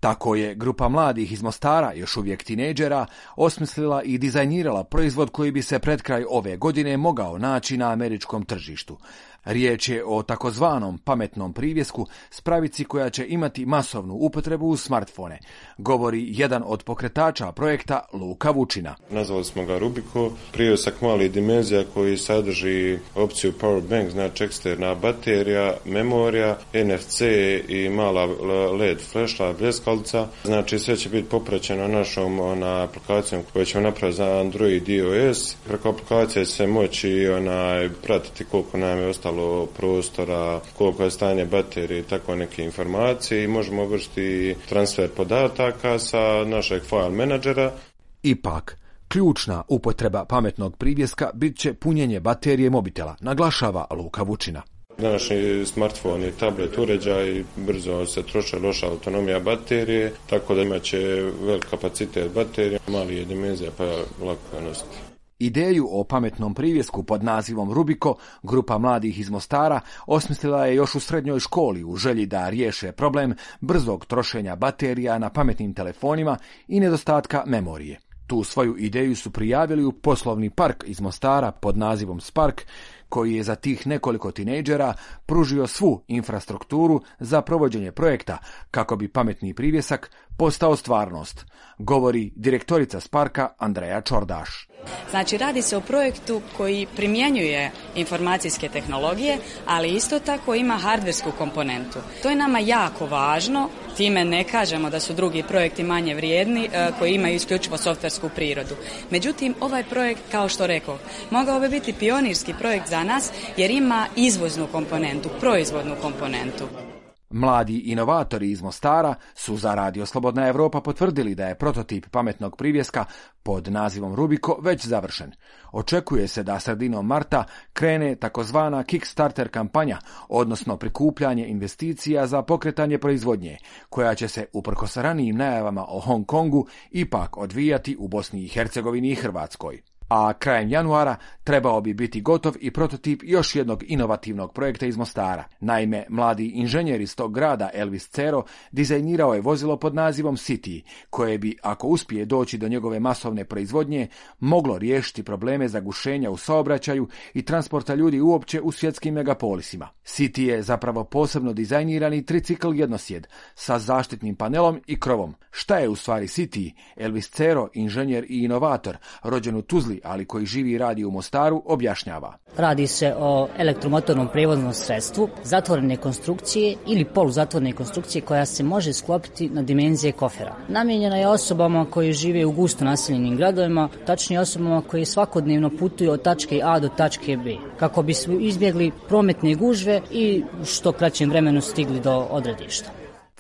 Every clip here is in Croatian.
Tako je grupa mladih iz Mostara, još uvijek tinejdžera, osmislila i dizajnirala proizvod koji bi se pred kraj ove godine mogao naći na američkom tržištu. Riječ je o takozvanom pametnom privjesku, spravici koja će imati masovnu upotrebu u smartfone, govori jedan od pokretača projekta Luka Vučina. Nazvali smo ga Rubiko, privjesak malih dimenzija koji sadrži opciju power bank, znači eksterna baterija, memorija, NFC i mala LED flashlight bljeskalica. Znači sve će biti popraćeno našom aplikacijom koju ćemo napraviti za Android i iOS. Preko aplikacije se moći pratiti koliko nam je ostalo prostora, koliko je stanje baterije i tako neke informacije i možemo vršiti transfer podataka sa našeg file menadžera. Ipak, ključna upotreba pametnog privjeska bit će punjenje baterije mobitela, naglašava Luka Vučina. Današnji smartfon i tablet uređaj brzo se troše, loša autonomija baterije, tako da imat će velik kapacitet baterije, mali je dimenzija pa lako je nositi. Ideju o pametnom privjesku pod nazivom Rubiko grupa mladih iz Mostara osmislila je još u srednjoj školi u želji da riješe problem brzog trošenja baterija na pametnim telefonima i nedostatka memorije. Tu svoju ideju su prijavili u poslovni park iz Mostara pod nazivom Spark, koji je za tih nekoliko tinejdžera pružio svu infrastrukturu za provođenje projekta kako bi pametni privjesak postao stvarnost, govori direktorica Sparka Andreja Čordaš. Znači, radi se o projektu koji primjenjuje informacijske tehnologije, ali isto tako ima hardversku komponentu. To je nama jako važno, time ne kažemo da su drugi projekti manje vrijedni koji imaju isključivo softversku prirodu. Međutim, ovaj projekt, kao što rekao, mogao bi biti pionirski projekt za nas jer ima izvoznu komponentu, proizvodnu komponentu. Mladi inovatori iz Mostara su za Radio Slobodna Europa potvrdili da je prototip pametnog privjeska pod nazivom Rubiko već završen. Očekuje se da sredinom marta krene takozvana Kickstarter kampanja, odnosno prikupljanje investicija za pokretanje proizvodnje, koja će se, uprkos ranijim najavama o Hong Kongu, ipak odvijati u Bosni i Hercegovini i Hrvatskoj. A krajem januara trebao bi biti gotov i prototip još jednog inovativnog projekta iz Mostara. Naime, mladi inženjer iz tog grada Elvis Cero dizajnirao je vozilo pod nazivom City, koje bi, ako uspije doći do njegove masovne proizvodnje, moglo riješiti probleme zagušenja u saobraćaju i transporta ljudi uopće u svjetskim megapolisima. City je zapravo posebno dizajnirani tricikl jednosjed sa zaštitnim panelom i krovom. Šta je u stvari City? Elvis Cero, inženjer i inovator, rođen u Tuzli, ali koji živi i radi u Mostaru, objašnjava. Radi se o elektromotornom prijevoznom sredstvu, zatvorene konstrukcije ili poluzatvorene konstrukcije koja se može sklopiti na dimenzije kofera. Namijenjena je osobama koji žive u gusto naseljenim gradovima, tačnije osobama koji svakodnevno putuju od tačke A do tačke B, kako bi se izbjegli prometne gužve i što kraćem vremenu stigli do odredišta.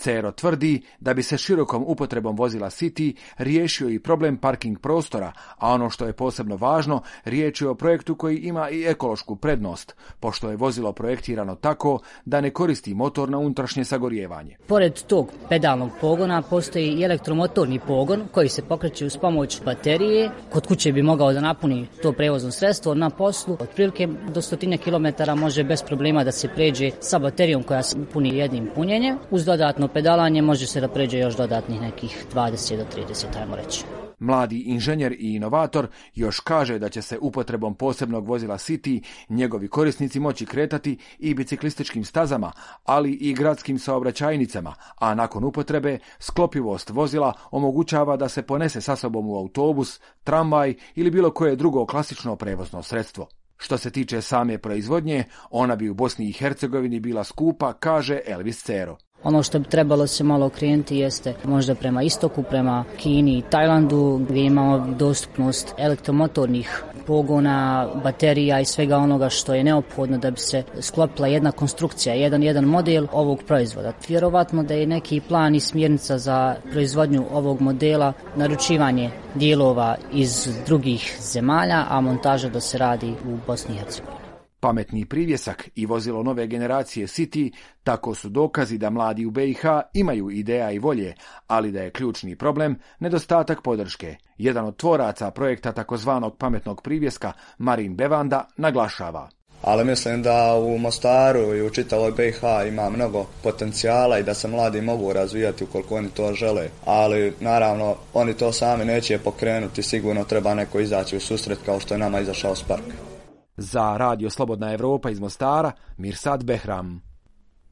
Cero tvrdi da bi se širokom upotrebom vozila City riješio i problem parking prostora, a ono što je posebno važno, riječ je o projektu koji ima i ekološku prednost, pošto je vozilo projektirano tako da ne koristi motor na unutrašnje sagorijevanje. Pored tog pedalnog pogona postoji i elektromotorni pogon koji se pokreće uz pomoć baterije. Kod kuće bi mogao da napuni to prevozno sredstvo, na poslu otprilike do 100 km može bez problema da se pređe sa baterijom koja se puni jednim punjenjem. Uz dodatno pedalanje može se da pređe još dodatnih nekih 20 do 30, ajmo reći. Mladi inženjer i inovator još kaže da će se upotrebom posebnog vozila City njegovi korisnici moći kretati i biciklističkim stazama, ali i gradskim saobraćajnicama, a nakon upotrebe sklopivost vozila omogućava da se ponese sa sobom u autobus, tramvaj ili bilo koje drugo klasično prevozno sredstvo. Što se tiče same proizvodnje, ona bi u Bosni i Hercegovini bila skupa, kaže Elvis Cero. Ono što bi trebalo se malo okrenuti jeste možda prema istoku, prema Kini i Tajlandu, gdje imamo dostupnost elektromotornih pogona, baterija i svega onoga što je neophodno da bi se sklopila jedna konstrukcija, jedan model ovog proizvoda. Vjerovatno da je neki plan i smjernica za proizvodnju ovog modela, naručivanje dijelova iz drugih zemalja, a montaža da se radi u Bosni i Hercegovini. Pametni privjesak i vozilo nove generacije City tako su dokazi da mladi u BiH imaju ideja i volje, ali da je ključni problem nedostatak podrške. Jedan od tvoraca projekta takozvanog pametnog privjeska, Marin Bevanda, naglašava. Ali mislim da u Mostaru i u čitavoj BiH ima mnogo potencijala i da se mladi mogu razvijati ukoliko oni to žele. Ali naravno oni to sami neće pokrenuti, sigurno treba neko izaći u susret kao što je nama izašao Spark. Za Radio Slobodna Evropa iz Mostara, Mirsad Behram.